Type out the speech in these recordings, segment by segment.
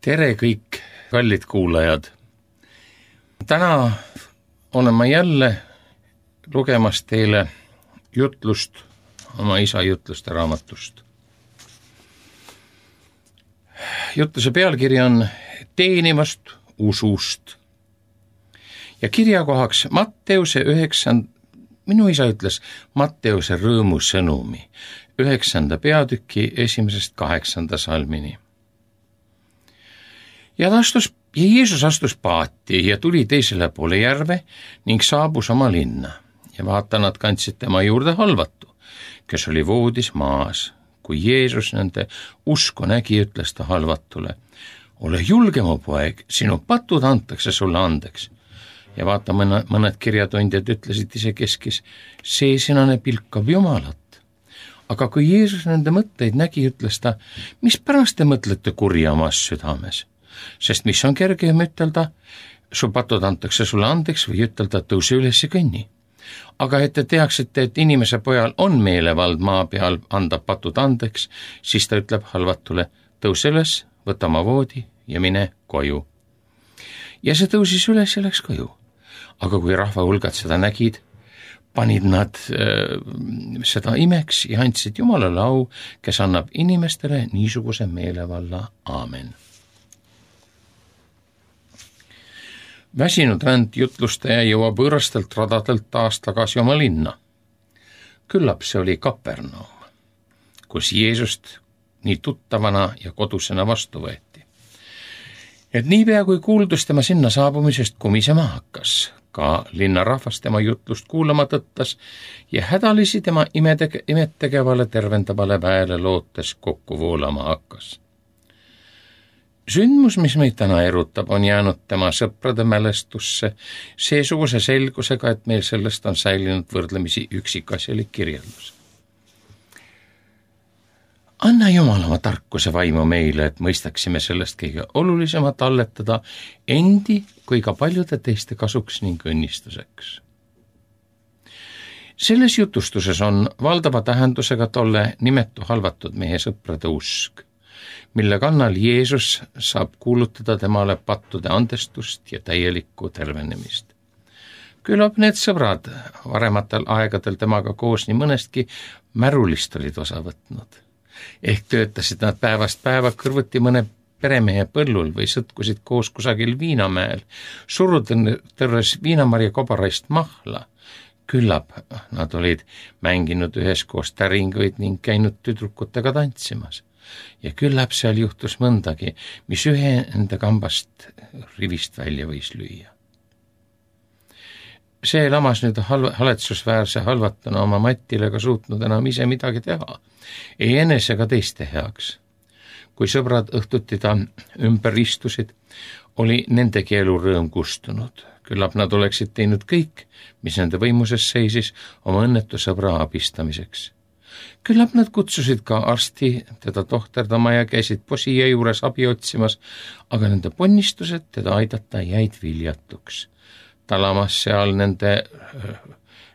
Tere kõik kallid kuulajad. Täna olen ma jälle lugemas teile jutlust oma isa jutluste raamatust. Jutluse pealkiri on Teenivast usust. Ja kirjakohaks Matteuse 9, minu isa ütles Matteuse rõõmusõnumi 9. peatüki 1.–8. salmini. Ja Jeesus astus paati ja tuli teisele poole järve ning saabus oma linna. Ja vaata, nad kandsid tema juurde halvatu, kes oli voodis maas. Kui Jeesus nende usku nägi, ütles ta halvatule: ole julge, mu poeg, sinu patud antakse sulle andeks. Ja vaata, mõned kirjatundjad ütlesid isekeskis: see sinane pilkab Jumalat. Aga kui Jeesus nende mõtteid nägi, ütles ta: mis pärast te mõtlete kurja omas südames? Sest mis on kergem ütelda, su patud antakse sulle andeks, või ütelda, tõuse üles ja kõnni. Aga et te teaksite, et inimese pojal on meelevald maa peal anda patud andeks, siis ta ütleb halvatule: tõuse üles, võta oma voodi ja mine koju. Ja see tõusis üles ja läks koju. Aga kui rahva hulgad seda nägid, panid nad seda imeks ja andsid Jumalale au, kes annab inimestele niisuguse meelevalla. Aamen. Väsinud ränd jutlustaja jõuab võõrastelt radadelt taas tagasi oma linna. Küllap see oli Kapernaum, kus Jeesust nii tuttavana ja kodusena vastu võeti. Et niipea kui kuuldus tema sinna saabumisest kumisema hakkas, ka linnarahvas tema jutlust kuulama tõttas ja hädalisi tema imettegevale tervendavale väele lootes kokku voolama hakkas. Sündmus, mis meid täna erutab, on jäänud tema sõprade mälestusse seesuguse selgusega, et meil sellest on säilinud võrdlemisi üksikasjalik kirjeldus. Anna Jumal oma tarkuse vaimu meile, et mõistaksime sellest kõige olulisemat alletada endi kui ka paljude teiste kasuks ning õnnistuseks. Selles jutustuses on valdava tähendusega tolle nimetu halvatud mehe sõprade usk, mille kannal Jeesus saab kuulutada temale pattude andestust ja täielikku tervenemist. Küllap need sõbrad varematel aegadel temaga koos nii mõnestki märulist olid osa võtnud. Ehk töötasid nad päevast päeva kõrvuti mõne peremehe põllul või sõtkusid koos kusagil Viinamäel, surutõrres viinamarja kobaraist mahla. Küllap nad olid mänginud üheskoos täringuid ning käinud tüdrukutega tantsimas. Ja küllap seal juhtus mõndagi, mis ühe enda kambast rivist välja võis lüüa. See lamas nüüd haletsusväärse halvatuna oma Matile ka suutnud enam ise midagi teha, ei enese ega teiste heaks. Kui sõbrad õhtuti ta ümber istusid, oli nendegi elu rõõm kustunud. Küllap nad oleksid teinud kõik, mis nende võimuses seisis oma õnnetu sõbra abistamiseks. Küllap nad kutsusid ka arsti teda tohterdama ja käisid posija juures abi otsimas, aga nende ponnistused teda aidata jäid viljatuks. Talamas seal nende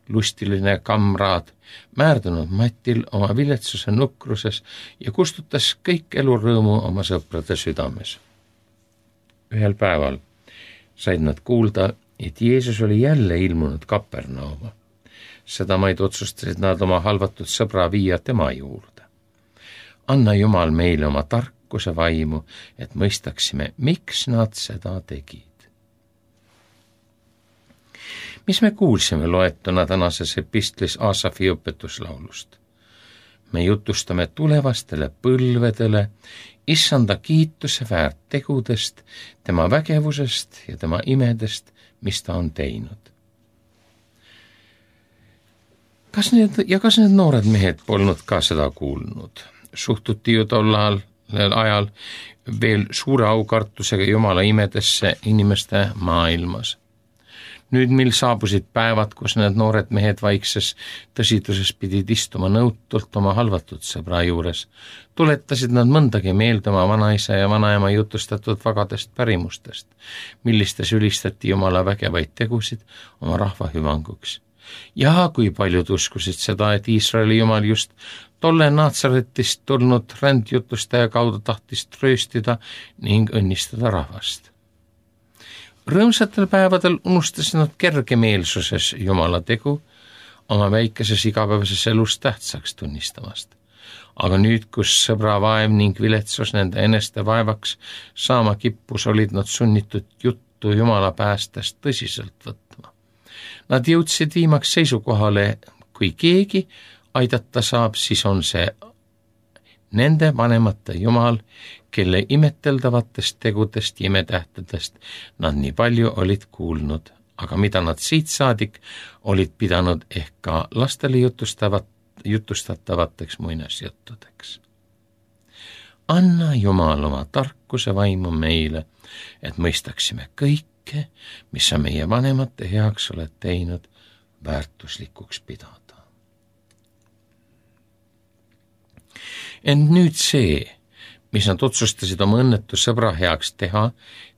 lustiline kamraad, määrdunud Matil oma viletsuse nukruses ja kustutas kõik elurõõmu oma sõprade südames. Ühel päeval said nad kuulda, et Jeesus oli jälle ilmunud Kapernauma. Seda maid otsustasid nad oma halvatud sõbra viia tema juurde. Anna Jumal meile oma tarkuse vaimu, et mõistaksime, miks nad seda tegid. Mis me kuulsime loetuna tänases epistlis Aasafi õpetuslaulust? Me jutustame tulevastele põlvedele Issanda kiituse väärt tegudest, tema vägevusest ja tema imedest, mis ta on teinud. Kas need noored mehed polnud ka seda kuulnud? Suhtuti ju tollal ajal veel suure aukartusega Jumala imedesse inimeste maailmas. Nüüd, mil saabusid päevad, kus need noored mehed vaikses tõsiduses pidid istuma nõutult oma halvatud sõbra juures, tuletasid nad mõndagi meelde oma vanaisa ja vanaema jutustatud vagadest pärimustest, millistes ülistati Jumala vägevaid tegusid oma rahva hüvanguks. ja kui paljud uskusid seda, et Iisraeli jumal just tolle Naatsaretist tulnud rändjutustaja kaudu tahtis trööstida ning õnnistada rahvast. Rõõmsatel päevadel unustasid nad kergemeelsuses Jumala tegu oma väikeses igapäevases elus tähtsaks tunnistamast. Aga nüüd, kus sõbra vaev ning viletsus nende eneste vaevaks saama kippus, olid nad sunnitud juttu Jumala päästest tõsiselt võtma. Nad jõudsid viimaks seisukohale, kui keegi aidata saab, siis on see nende vanemate Jumal, kelle imeteldavatest tegudest ja imetähtedest nad nii palju olid kuulnud, aga mida nad siit saadik olid pidanud ehk ka lastele jutustatavateks muinasjuttudeks. Anna Jumal oma tarkuse vaimu meile, et mõistaksime kõike, mis sa meie vanemate heaks oled teinud, väärtuslikuks pidada. Ent nüüd see, mis nad otsustasid oma õnnetu sõbra heaks teha,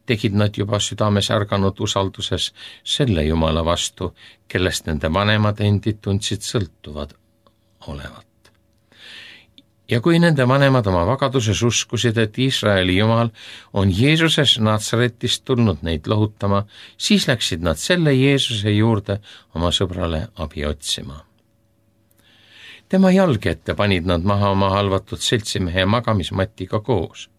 tegid nad juba südames ärganud usalduses selle Jumala vastu, kellest nende vanemad endid tundsid sõltuvad olevat. Ja kui nende vanemad oma vagaduses uskusid, et Iisraeli Jumal on Jeesuses Naatsaretist tulnud neid lohutama, siis läksid nad selle Jeesuse juurde oma sõbrale abi otsima. Tema jalge ette panid nad maha oma halvatud seltsimehe magamismatiga koos.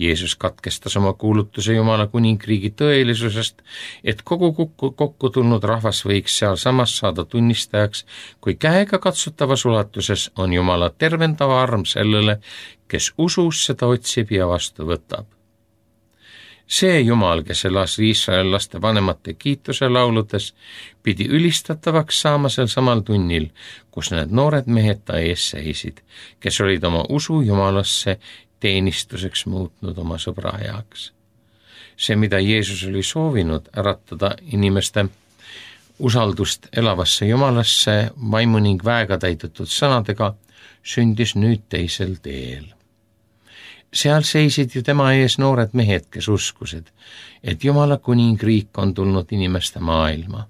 Jeesus katkestas oma kuulutuse Jumala kuningriigi tõelisusest, et kogu kokku tulnud rahvas võiks sealsamas saada tunnistajaks, kui käega katsutavas ulatuses on Jumala tervendava arm sellele, kes usus seda otsib ja vastu võtab. See Jumal, kes elas Iisraeli laste vanemate kiituse lauludes, pidi ülistatavaks saama sel samal tunnil, kus need noored mehed ta ees seisid, kes olid oma usu Jumalasse teenistuseks muutnud oma sõbra heaks. See, mida Jeesus oli soovinud äratada inimeste usaldust elavasse Jumalasse vaimu ning väega täidetud sõnadega, sündis nüüd teisel teel. Seal seisid ju tema ees noored mehed, kes uskusid, et Jumala kuningriik on tulnud inimeste maailma.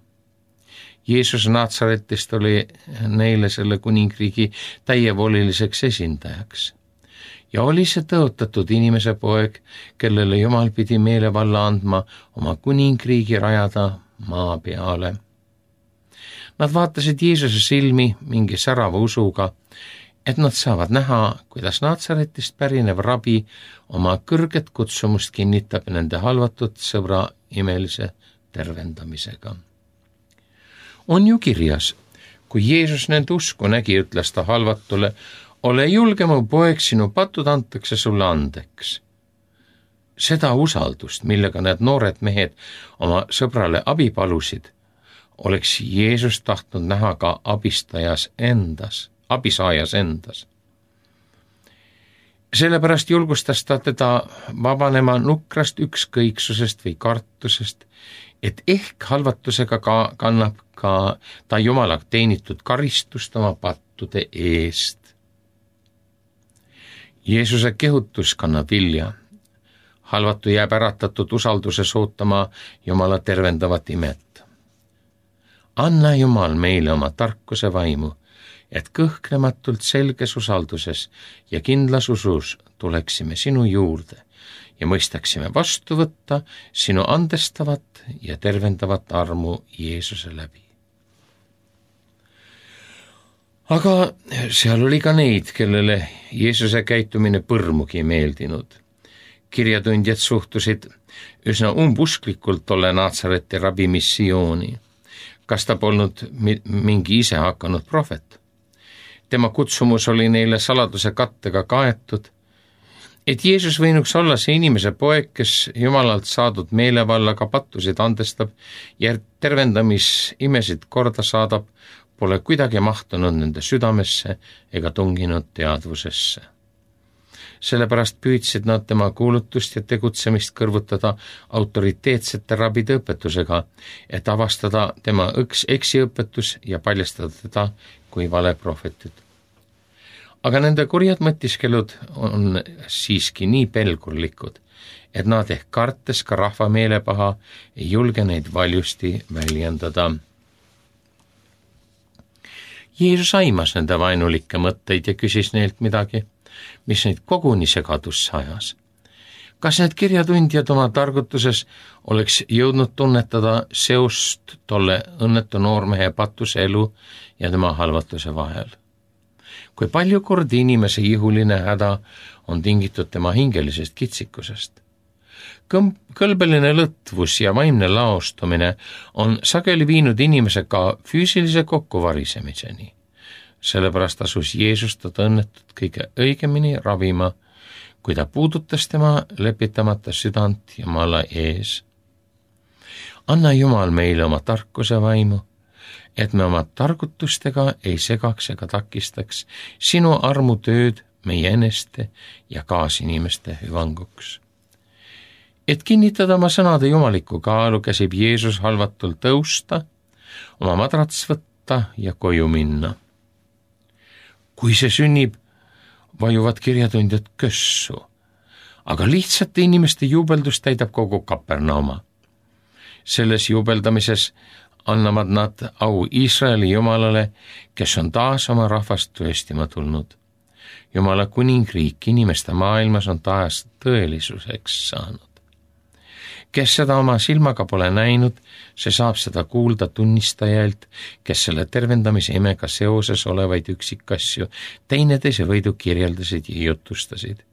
Jeesus Naatsaretist oli neile selle kuningriigi täievoliliseks esindajaks. Ja oli see tõotatud inimese poeg, kellele Jumal pidi meelevalla andma oma kuningriigi rajada maa peale. Nad vaatasid Jeesuse silmi mingi särava usuga, et nad saavad näha, kuidas Naatsaretist pärinev rabi oma kõrget kutsumust kinnitab nende halvatud sõbra imelise tervendamisega. On ju kirjas, kui Jeesus nende usku nägi, ütles ta halvatule, ole julge, mu poeg, sinu patud antakse sulle andeks. Seda usaldust, millega need noored mehed oma sõbrale abi palusid, oleks Jeesus tahtnud näha ka abisaajas endas. Sellepärast julgustas ta teda vabanema nukrast ükskõiksusest või kartusest, et ehk halvatusega kannab ka ta Jumala teenitud karistust oma pattude eest. Jeesuse kehutus kannab vilja. Halvatu jääb äratatud usalduses ootama Jumala tervendavat imet. Anna Jumal meile oma tarkuse vaimu, et kõhklematult selges usalduses ja kindlas usus tuleksime sinu juurde ja mõistaksime vastu võtta sinu andestavat ja tervendavat armu Jeesuse läbi. Aga seal oli ka neid, kellele Jeesuse käitumine põrmugi meeldinud. Kirjatundjad suhtusid üsna umbusklikult tolle Naatsareti rabi missiooni. Kas ta polnud mingi ise hakanud prohvet? Tema kutsumus oli neile saladuse kattega kaetud, et Jeesus võinuks olla see inimese poeg, kes Jumalalt saadud meelevallaga pattusid andestab ja tervendamisimesid korda saadab, pole kuidagi mahtunud nende südamesse ega tunginud teadvusesse. Sellepärast püüdsid nad tema kuulutust ja tegutsemist kõrvutada autoriteetsete rabide õpetusega, et avastada tema eksiõpetus ja paljastada teda kui valeprohvetit. Aga nende kurjad mõtiskelud on siiski nii pelgurlikud, et nad ehk kartes ka rahva meelepaha ei julge neid valjusti väljendada. Jeesus aimas nende vaenulikke mõtteid ja küsis neilt midagi, mis neid koguni segadusse ajas. Kas need kirjatundjad oma targutuses oleks jõudnud tunnetada seost tolle õnnetu noormehe patuse elu ja tema halvatuse vahel? Kui palju kordi inimese ihuline häda on tingitud tema hingelisest kitsikusest? Kõlbeline lõtvus ja vaimne laostumine on sageli viinud inimese ka füüsilise kokkuvarisemiseni. Sellepärast asus Jeesus teda õnnetut kõige õigemini ravima, kui ta puudutas tema lepitamata südant Jumala ees. Anna Jumal meile oma tarkuse vaimu, et me oma targutustega ei segaks ega takistaks sinu armutööd meie eneste ja kaasinimeste hüvanguks. Et kinnitada oma sõnade jumalikku kaalu, käsib Jeesus halvatul tõusta, oma madrats võtta ja koju minna. Kui see sünnib, vajuvad kirjatundjad kössu, aga lihtsate inimeste juubeldus täidab kogu Kapernauma. Selles juubeldamises annavad nad au Iisraeli Jumalale, kes on taas oma rahvast tõestima tulnud. Jumala kuningriik inimeste maailmas on taas tõelisuseks saanud. Kes seda oma silmaga pole näinud, see saab seda kuulda tunnistajalt, kes selle tervendamise imega seoses olevaid üksikasju teineteise võidu kirjeldasid ja jutustasid.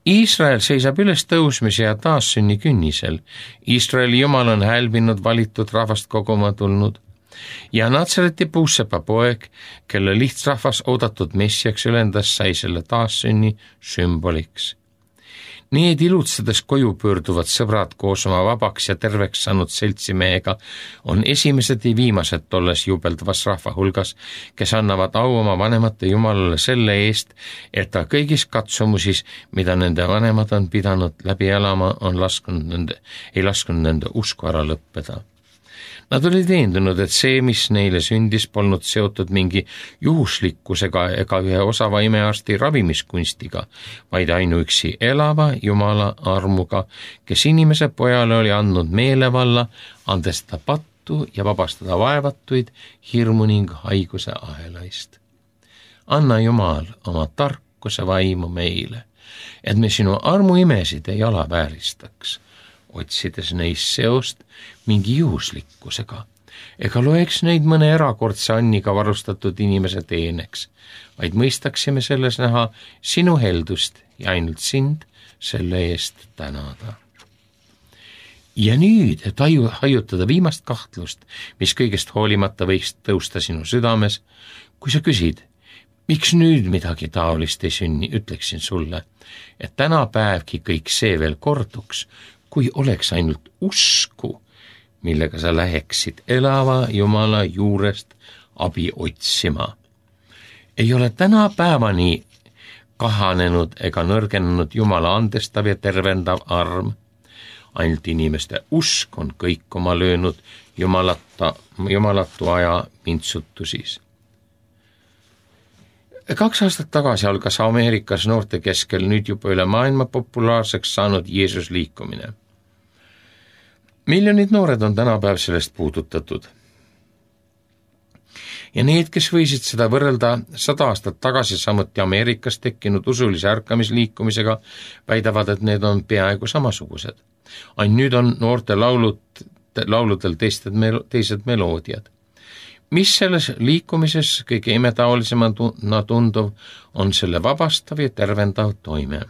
Iisrael seisab üles tõusmise ja taassünni künnisel. Iisraeli Jumal on hälbinud valitud rahvast koguma tulnud ja Natsareti puussepa poeg, kelle lihtsrahvas oodatud messiaks ülendas, sai selle taassünni sümboliks. Need ilutsedes koju pöörduvad sõbrad koos oma vabaks ja terveks saanud seltsimehega on esimesed ja viimased tolles jubeldavas rahva hulgas, kes annavad au oma vanemate Jumalale selle eest, et ta kõigis katsumusis, mida nende vanemad on pidanud läbi elama, ei lasknud nende usku ära lõppeda. Nad olid veendunud, et see, mis neile sündis, polnud seotud mingi juhuslikkusega ega ühe osava imearsti ravimiskunstiga, vaid ainuüksi elava Jumala armuga, kes inimese pojale oli andnud meelevalla, andestada pattu ja vabastada vaevatuid hirmu ning haiguse ahelaist. Anna Jumal oma tarkuse vaimu meile, et me sinu armuimesid ei alavääristaks, otsides neist seost mingi juhuslikkusega, ega loeks neid mõne erakordse anniga varustatud inimese teeneks, vaid mõistaksime selles näha sinu heldust ja ainult sind selle eest tänada. Ja nüüd, et hajutada viimast kahtlust, mis kõigest hoolimata võiks tõusta sinu südames, kui sa küsid, miks nüüd midagi taolist ei sünni, ütleksin sulle, et tänapäevki kõik see veel korduks, kui oleks ainult usku, millega sa läheksid elava Jumala juurest abi otsima. Ei ole tänapäevani kahanenud ega nõrgenenud Jumala andestav ja tervendav arm. Ainult inimeste usk on kõikuma löönud jumalatu aja vintsutusis. 2 aastat tagasi algas Ameerikas noorte keskel nüüd juba üle maailma populaarseks saanud Jeesus liikumine. Miljonid noored on tänapäev sellest puudutatud. Ja need, kes võisid seda võrrelda 100 aastat tagasi samuti Ameerikas tekkinud usulise ärkamisliikumisega, väidavad, et need on peaaegu samasugused. Ainult nüüd on noorte lauludel teised meloodiad. Mis selles liikumises kõige imetaolisemana tunduv on selle vabastav ja tervendav toime.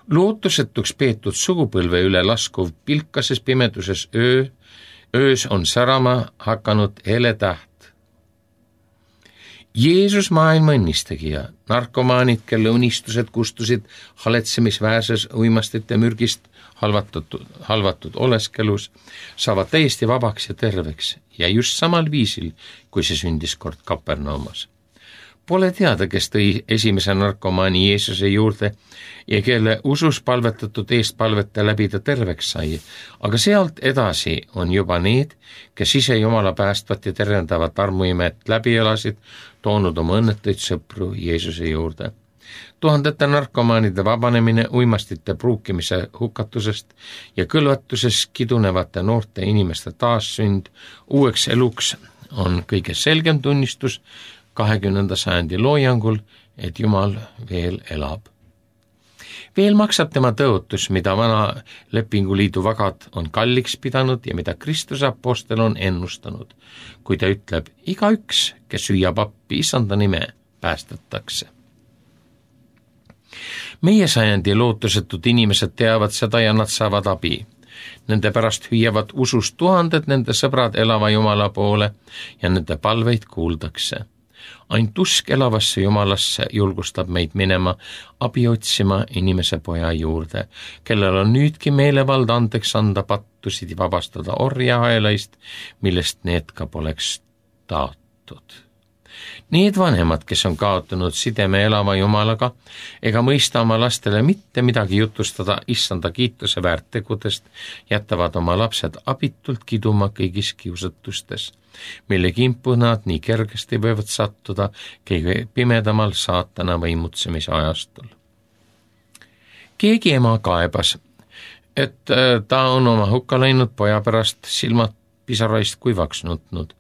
Lootusetuks peetud sugupõlve üle laskuv pilkases pimeduses öös on särama hakanud hele täht. Jeesus maailma õnnistegija, narkomaanid, kelle unistused kustusid haletsemisväärses uimastite mürgist halvatud oleskelus, saavad täiesti vabaks ja terveks ja just samal viisil, kui see sündis kord Kapernaumas. Pole teada, kes tõi esimese narkomaani Jeesuse juurde ja kelle usus palvetatud eestpalvete läbi ta terveks sai, aga sealt edasi on juba need, kes ise Jumala päästvat ja tervendavat armuimet läbi elasid, toonud oma õnnetuid sõpru Jeesuse juurde. Tuhandete narkomaanide vabanemine uimastite pruukimise hukatusest ja kõlvatuses kidunevate noorte inimeste taassünd uueks eluks on kõige selgem tunnistus 20. sajandi loojangul, et Jumal veel elab. Veel maksab tema tõotus, mida vana lepinguliidu vagad on kalliks pidanud ja mida Kristuse apostel on ennustanud, kui ta ütleb, igaüks, kes hüüab appi Issanda nime, päästetakse. Meie sajandi lootusetud inimesed teavad seda ja nad saavad abi. Nende pärast hüüavad usus tuhanded nende sõbrad elava Jumala poole ja nende palveid kuuldakse. Ainult usk elavasse Jumalasse julgustab meid minema abi otsima inimese poja juurde, kellel on nüüdki meelevald andeks anda pattusid ja vabastada orjahaelaist, millest need ka poleks taotud. Need vanemad, kes on kaotanud sideme elava Jumalaga ega mõista oma lastele mitte midagi jutustada Issanda kiituse väärt tegudest, jätavad oma lapsed abitult kiduma kõigis kiusatustes, mille kimpu nad nii kergesti võivad sattuda kõige pimedamal saatana võimutsemise ajastul. Keegi ema kaebas, et ta on oma hukka läinud poja pärast silmad pisaraist kuivaks nutnud,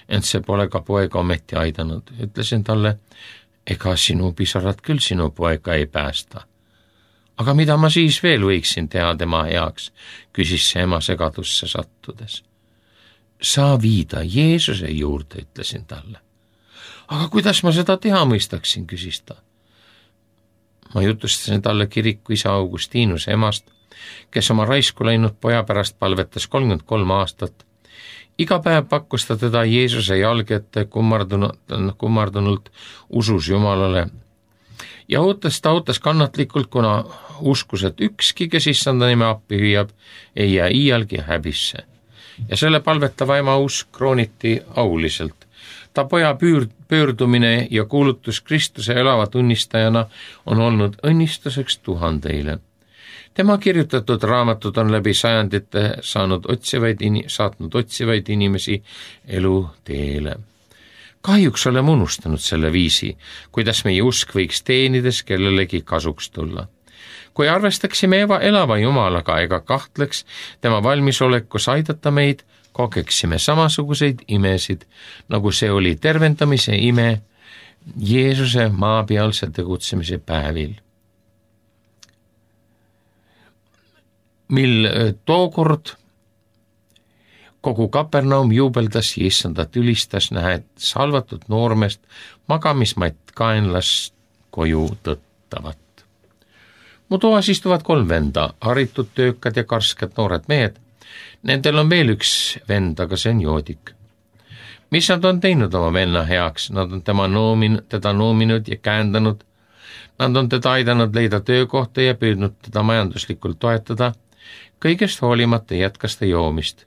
ent see pole ka poega ometi aidanud. Ütlesin talle, ega sinu pisarad küll sinu poega ei päästa. Aga mida ma siis veel võiksin teha tema heaks, küsis see ema segadusse sattudes. Saa viida Jeesuse juurde, ütlesin talle. Aga kuidas ma seda teha mõistaksin, küsis ta. Ma jutustasin talle kiriku isa Augustinuse emast, kes oma raisku läinud poja pärast palvetas 33 aastat. Iga päev pakkus ta teda Jeesuse jalge ette kummardunult usus Jumalale ja ta ootas kannatlikult, kuna uskus, et ükski, kes Issanda nime appi hüüab, ei jää iialgi häbisse. Ja selle palvetava ema usk krooniti auliselt. Ta poja pöördumine ja kuulutus Kristuse elava tunnistajana on olnud õnnistuseks tuhandeile. Tema kirjutatud raamatud on läbi sajandite saatnud otsivaid inimesi elu teele. Kahjuks oleme unustanud selle viisi, kuidas meie usk võiks teenides kellelegi kasuks tulla. Kui arvestaksime elava Jumalaga ega kahtleks tema valmisolekus aidata meid, kogeksime samasuguseid imesid, nagu see oli tervendamise ime Jeesuse maapealse tegutsemise päevil. Mil tookord kogu Kapernaum juubeldas ja Issandat ülistas, nähed salvatud noormest magamismatt kaenlast koju tõttavat. Mu toas istuvad 3 venda, haritud, töökad ja karsked noored mehed. Nendel on veel üks vend, aga see on joodik. Mis nad on teinud oma venna heaks? Nad on teda noominud ja käändanud. Nad on teda aidanud leida töökohta ja püüdnud teda majanduslikult toetada. Kõigest hoolimata jätkas ta joomist.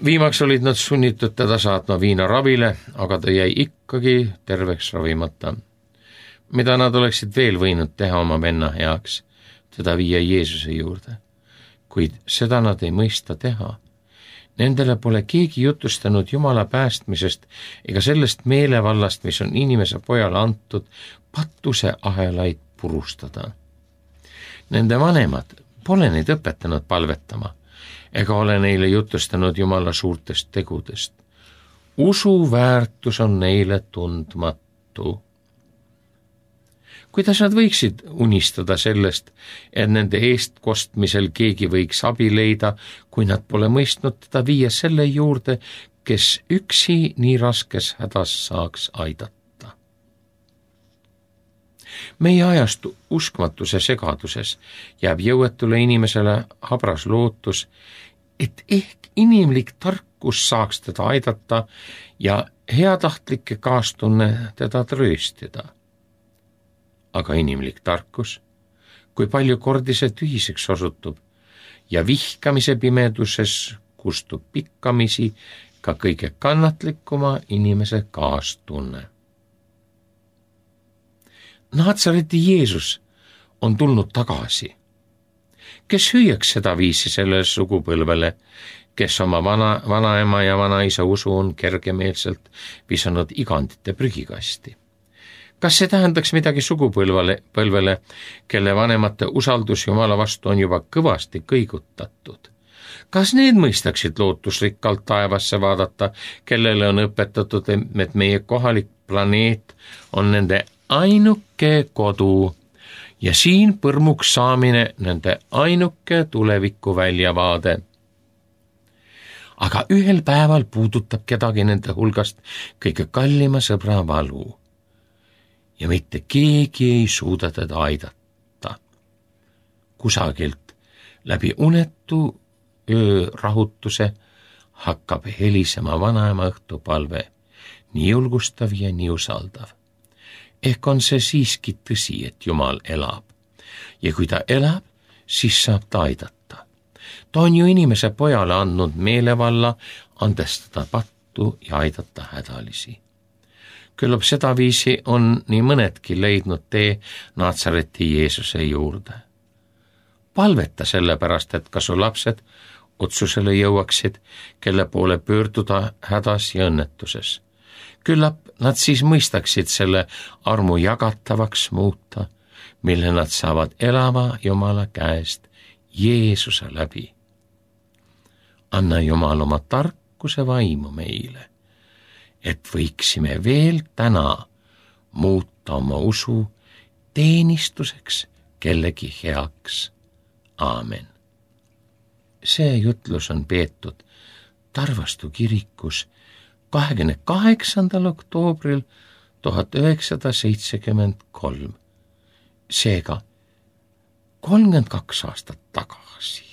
Viimaks olid nad sunnitud teda saatma viinaravile, aga ta jäi ikkagi terveks ravimata. Mida nad oleksid veel võinud teha oma venna heaks, teda viia Jeesuse juurde. Kuid seda nad ei mõista teha. Nendele pole keegi jutustanud Jumala päästmisest ega sellest meelevallast, mis on inimese pojale antud pattuse ahelaid purustada. Nende vanemad pole neid õpetanud palvetama ega ole neile jutustanud Jumala suurtest tegudest. Usu väärtus on neile tundmatu. Kuidas nad võiksid unistada sellest, et nende eestkostmisel keegi võiks abi leida, kui nad pole mõistnud teda viia selle juurde, kes üksi nii raskes hädas saaks aidata? Meie ajastu uskmatuse segaduses jääb jõuetule inimesele habras lootus, et ehk inimlik tarkus saaks teda aidata ja heatahtlike kaastunne teda trööstida. Aga inimlik tarkus, kui palju kordi see tühiseks osutub ja vihkamise pimeduses kustub pikkamisi ka kõige kannatlikuma inimese kaastunne. Naatsareti Jeesus on tulnud tagasi. Kes hüüaks seda viisi sellele sugupõlvele, kes oma vanaema ja vanaisa usu on kergemeelselt visanud igandite prügikasti? Kas see tähendaks midagi sugupõlvele, kelle vanemate usaldus Jumala vastu on juba kõvasti kõigutatud? Kas need mõistaksid lootusrikkalt taevasse vaadata, kellele on õpetatud, et meie kohalik planeet on nende ainuke kodu ja siin põrmuks saamine nende ainuke tuleviku väljavaade. Aga ühel päeval puudutab kedagi nende hulgast kõige kallima sõbra valu ja mitte keegi ei suuda teda aidata. Kusagilt läbi unetu öörahutuse hakkab helisema vanaema õhtupalve, nii julgustav ja nii usaldav. Ehk on see siiski tõsi, et Jumal elab ja kui ta elab, siis saab ta aidata. Ta on ju inimese pojale andnud meelevalla andestada pattu ja aidata hädalisi. Küllap sedaviisi on nii mõnedki leidnud tee Naatsareti Jeesuse juurde. Palveta sellepärast, et ka su lapsed otsusele jõuaksid, kelle poole pöörduda hädas ja õnnetuses. Küllap nad siis mõistaksid selle armu jagatavaks muuta, mille nad saavad elava Jumala käest Jeesuse läbi. Anna Jumal oma tarkuse vaimu meile, et võiksime veel täna muuta oma usu teenistuseks kellegi heaks. Aamen. See jutlus on peetud Tarvastu kirikus 28. oktoobril 1973, seega 32 aastat tagasi.